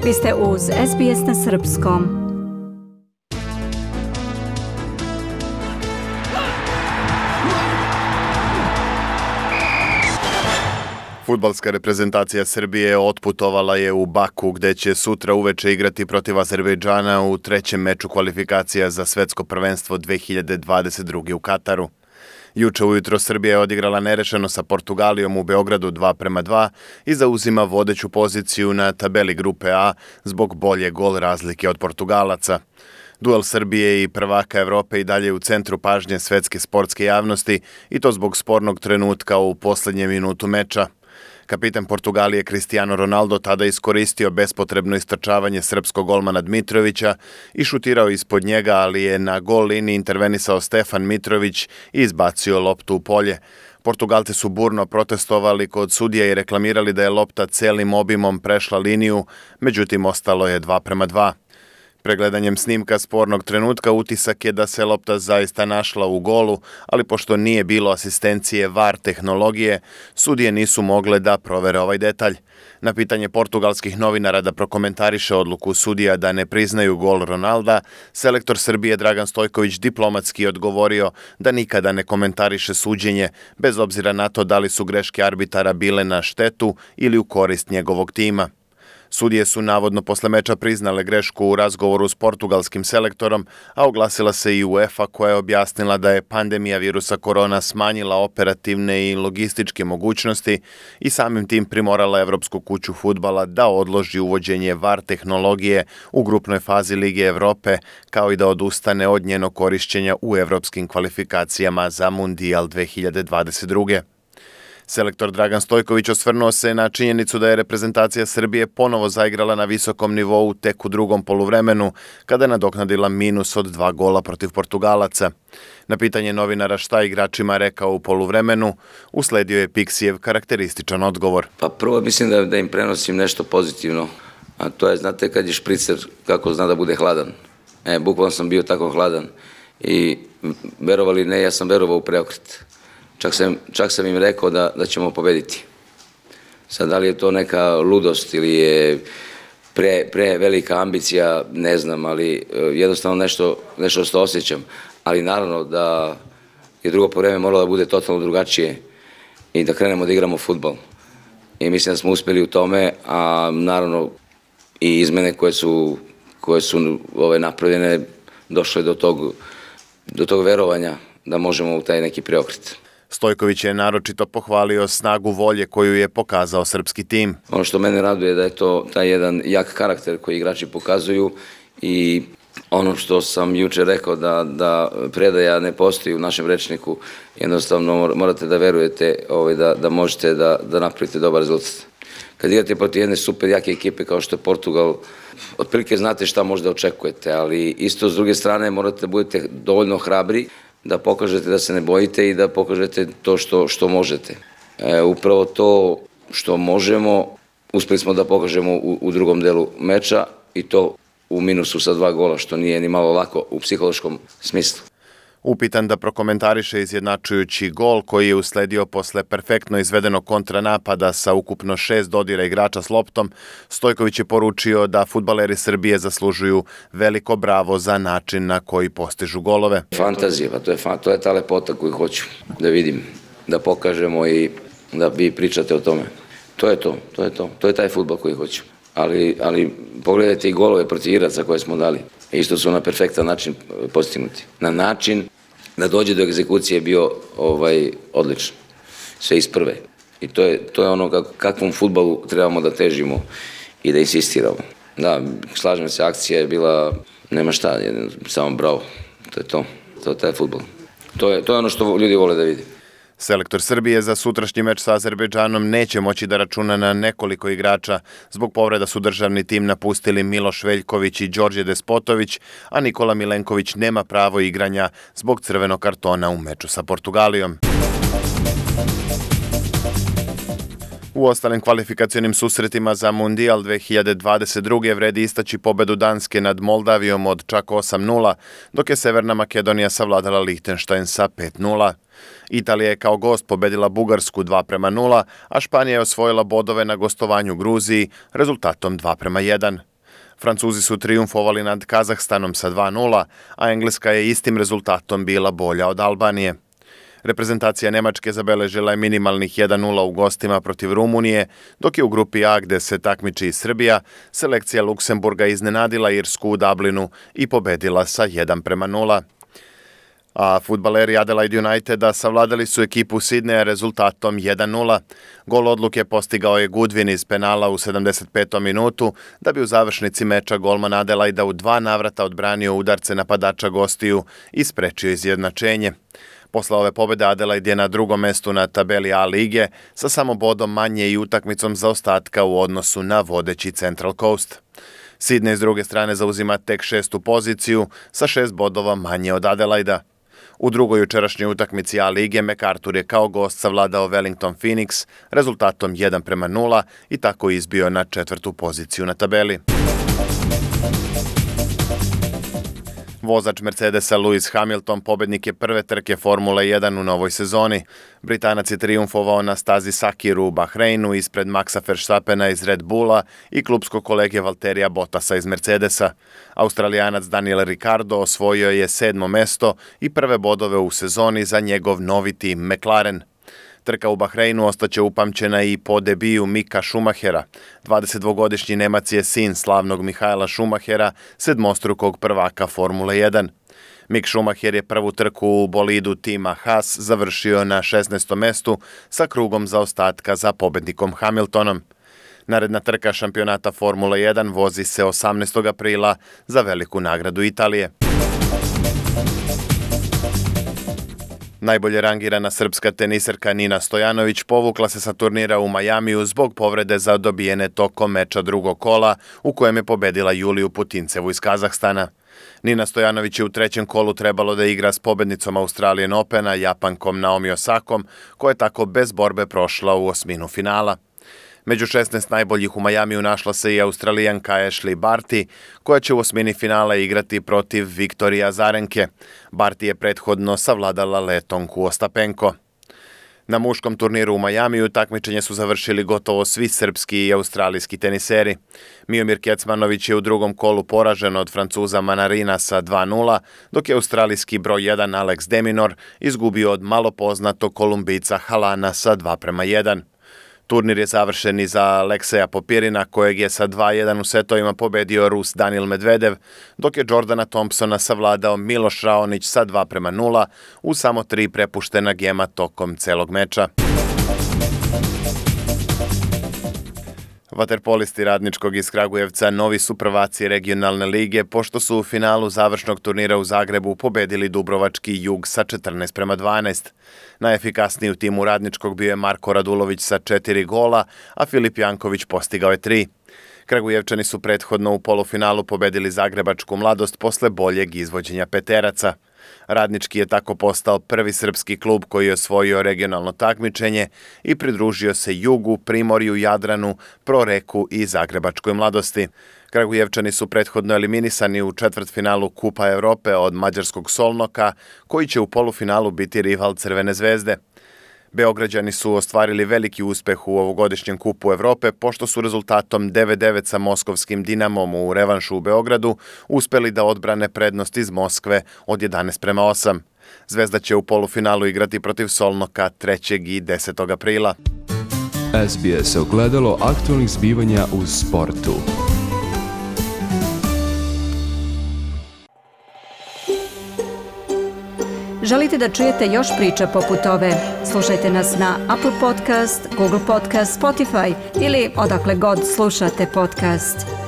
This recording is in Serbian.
Vi ste uz SBS na srpskom. Fudbalska reprezentacija Srbije otputovala je u Baku, gde će sutra uveče igrati protiv Azerbejdžana u trećem meču kvalifikacija za svetsko prvenstvo 2022. u Kataru. Juče ujutro Srbija je odigrala nerešeno sa Portugalijom u Beogradu 2:2 i zauzima vodeću poziciju na tabeli grupe A zbog bolje gol razlike od Portugalaca. Duel Srbije i prvaka Evrope i dalje u centru pažnje svetske sportske javnosti i to zbog spornog trenutka u poslednjem minutu meča. Kapitan Portugalije Cristiano Ronaldo tada iskoristio bespotrebno istrčavanje srpskog golmana Dmitrovića i šutirao ispod njega, ali je na gol liniji intervenisao Stefan Mitrović i izbacio loptu u polje. Portugalci su burno protestovali kod sudija i reklamirali da je lopta celim obimom prešla liniju, međutim ostalo je 2:2. Pregledanjem snimka spornog trenutka utisak je da se lopta zaista našla u golu, ali pošto nije bilo asistencije VAR tehnologije, sudije nisu mogle da provere ovaj detalj. Na pitanje portugalskih novinara da prokomentariše odluku sudija da ne priznaju gol Ronalda, selektor Srbije Dragan Stojković diplomatski odgovorio da nikada ne komentariše suđenje, bez obzira na to da li su greške arbitara bile na štetu ili u korist njegovog tima. Sudije su navodno posle meča priznale grešku u razgovoru s portugalskim selektorom, a oglasila se i UEFA koja je objasnila da je pandemija virusa korona smanjila operativne i logističke mogućnosti i samim tim primorala Evropsku kuću fudbala da odloži uvođenje VAR tehnologije u grupnoj fazi Lige Evrope, kao i da odustane od njenog korišćenja u evropskim kvalifikacijama za Mundijal 2022. Selektor Dragan Stojković osvrnuo se na činjenicu da je reprezentacija Srbije ponovo zaigrala na visokom nivou tek u drugom poluvremenu, kada je nadoknadila minus od 2 gola protiv Portugalaca. Na pitanje novinara šta igračima rekao u poluvremenu, usledio je Piksijev karakterističan odgovor. Pa prvo mislim da im prenosim nešto pozitivno, a to je, znate, kad je špricer, kako zna da bude hladan. Bukvalno sam bio tako hladan i verovali ne, ja sam verovao u preokret. Čak sam im rekao da ćemo pobediti. Sad, da li je to neka ludost ili je pre velika ambicija, ne znam, ali jednostavno nešto što osjećam. Ali naravno da je drugo povreme moralo da bude totalno drugačije i da krenemo da igramo fudbal. I mislim da smo uspeli u tome, a naravno i izmene koje su napravljene, došle do tog verovanja da možemo u taj neki preokret. Stojković je naročito pohvalio snagu volje koju je pokazao srpski tim. Ono što mene raduje da je to taj jedan jak karakter koji igrači pokazuju i ono što sam juče rekao da predaja ne postoji u našem rečniku, jednostavno morate da verujete da možete da napravite dobar rezultat. Kad igrate protiv jedne super jake ekipe kao što je Portugal, otprilike znate šta možda očekujete, ali isto s druge strane morate da budete dovoljno hrabri da pokažete da se ne bojite i da pokažete to što možete. Upravo to što možemo, uspeli smo da pokažemo u drugom delu meča i to u minusu sa 2 gola, što nije ni malo lako u psihološkom smislu. Upitan da prokomentariše izjednačujući gol koji je usledio posle perfektno izvedenog kontranapada sa ukupno 6 dodira igrača s loptom, Stojković je poručio da fudbaleri Srbije zaslužuju veliko bravo za način na koji postižu golove. Fantazija, to je ta lepota koju hoću da vidim, da pokažemo i da vi pričate o tome. To je taj fudbal koji hoću. Ali pogledajte i golove protiv Iraca koje smo dali. Isto su na perfektan način postignuti. Na način da dođe do egzekucije je bio odličan. Sve iz prve. I to je ono kakvom fudbalu trebamo da težimo i da insistiramo. Da, slažem se, akcija je bila, nema šta, samo bravo. To je to. To je taj fudbal. To je ono što ljudi vole da vidi. Selektor Srbije za sutrašnji meč sa Azerbejdžanom neće moći da računa na nekoliko igrača. Zbog povreda su državni tim napustili Miloš Veljković i Đorđe Despotović, a Nikola Milenković nema pravo igranja zbog crvenog kartona u meču sa Portugalijom. U ostalim kvalifikacionim susretima za Mundijal 2022. vredi istaći pobedu Danske nad Moldavijom od čak 8:0, dok je Severna Makedonija savladala Lihtenštajn sa 5:0. Italija je kao gost pobedila Bugarsku 2:0, a Španija je osvojila bodove na gostovanju Gruziji rezultatom 2:1. Francuzi su trijumfovali nad Kazahstanom sa 2:0, a Engleska je istim rezultatom bila bolja od Albanije. Reprezentacija Nemačke zabeležila je minimalnih 1:0 u gostima protiv Rumunije, dok je u grupi A, gde se takmiči i Srbija, selekcija Luksemburga iznenadila Irsku u Dublinu i pobedila sa 1:0. A fudbaleri Adelaide Uniteda savladali su ekipu Sidneja rezultatom 1:0. Gol odluke postigao je Goodwin iz penala u 75. minutu, da bi u završnici meča golman Adelaida u 2 navrata odbranio udarce napadača gostiju i sprečio izjednačenje. Posle ove pobede Adelaide je na drugom mestu na tabeli A lige sa samo bodom manje i utakmicom zaostatka u odnosu na vodeći Central Coast. Sydney s druge strane zauzima tek 6. poziciju sa 6 bodova manje od Adelaida. U drugoj jučerašnjoj utakmici A lige MacArthur je kao gost savladao Wellington Phoenix rezultatom 1:0 i tako izbio na 4. poziciju na tabeli. Vozač Mercedesa Lewis Hamilton pobednik je prve trke Formule 1 u novoj sezoni. Britanac je trijumfovao na stazi Sakiru u Bahreinu ispred Maxa Verstappena iz Red Bulla i klubskog kolege Valterija Bottasa iz Mercedesa. Australijanac Daniel Ricciardo osvojio je 7. mesto i prve bodove u sezoni za njegov novi tim McLaren. Trka u Bahreinu ostaće upamćena i po debiju Mika Schumachera. 22-godišnji Nemac je sin slavnog Michaela Schumachera, sedmostrukog prvaka Formule 1. Mick Schumacher je prvu trku u bolidu tima Haas završio na 16. mestu sa krugom zaostatka za pobednikom Hamiltonom. Naredna trka šampionata Formule 1 vozi se 18. aprila za veliku nagradu Italije. Najbolje rangirana srpska teniserka Nina Stojanović povukla se sa turnira u Majamiju zbog povrede zadobijene tokom meča drugog kola u kojem je pobedila Juliju Putincevu iz Kazahstana. Nina Stojanović je u trećem kolu trebalo da igra s pobednicom Australian Opena, Japankom Naomi Osakom, koja je tako bez borbe prošla u osminu finala. Među 16 najboljih u Majamiju našla se i Australijanka Ashley Barty, koja će u osmini finala igrati protiv Viktorije Azarenke. Barty je prethodno savladala Letonku Ostapenko. Na muškom turniru u Majamiju takmičenje su završili gotovo svi srpski i australijski teniseri. Miomir Kecmanović je u drugom kolu poražen od Francuza Manarina sa 2:0, dok je australijski broj 1 Alex de Minaur izgubio od malo poznatog Kolumbijca Halana sa 2:1. Turnir je završen i za Alekseja Popirina, kojeg je sa 2:1 u setovima pobedio Rus Daniil Medvedev, dok je Jordana Thompsona savladao Miloš Raonić sa 2:0 u samo 3 prepuštena gema tokom celog meča. Vaterpolisti Radničkog iz Kragujevca novi su prvaci regionalne lige, pošto su u finalu završnog turnira u Zagrebu pobedili Dubrovački Jug sa 14:12. Najefikasniji u timu Radničkog bio je Marko Radulović sa 4 gola, a Filip Janković postigao je 3. Kragujevčani su prethodno u polufinalu pobedili Zagrebačku Mladost posle boljeg izvođenja peteraca. Radnički je tako postao prvi srpski klub koji je osvojio regionalno takmičenje i pridružio se Jugu, Primorju, Jadranu, Proreku i Zagrebačkoj Mladosti. Kragujevčani su prethodno eliminisani u četvrtfinalu Kupa Evrope od mađarskog Solnoka, koji će u polufinalu biti rival Crvene zvezde. Beograđani su ostvarili veliki uspeh u ovogodišnjem Kupu Evrope, pošto su rezultatom 9:9 sa moskovskim Dinamom u revanšu u Beogradu uspeli da odbrane prednost iz Moskve od 11:8. Zvezda će u polufinalu igrati protiv Solnoka 3. i 10. aprila. SBS ogledalo aktualnih zbivanja u sportu. Želite da čujete još priča poput ove? Slušajte nas na Apple Podcast, Google Podcast, Spotify ili odakle god slušate podcast.